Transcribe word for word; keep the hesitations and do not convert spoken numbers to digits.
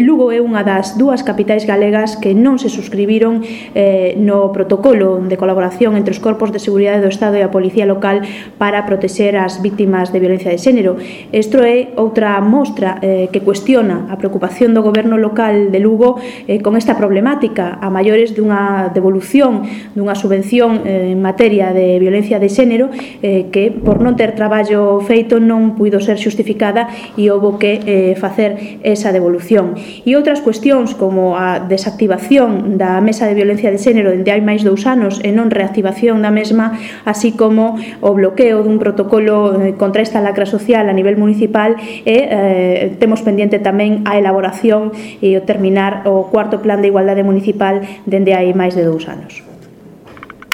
Lugo é unha das dúas capitais galegas que non se suscribiron eh, no protocolo de colaboración entre os corpos de seguridade do Estado e a Policía Local para protexer as vítimas de violencia de xénero. Isto é outra mostra eh, que cuestiona a preocupación do goberno local de Lugo eh, con esta problemática a maiores dunha devolución dunha subvención eh, en materia de violencia de xénero eh, que por non ter traballo feito non puido ser xustificada e houbo que eh, facer esa devolución. E outras cuestións como a desactivación da Mesa de Violencia de Xénero dende hai máis dous anos e non reactivación da mesma, así como o bloqueo dun protocolo contra esta lacra social a nivel municipal e eh, temos pendiente tamén a elaboración e o terminar o cuarto plan de igualdade municipal dende hai máis de dous anos.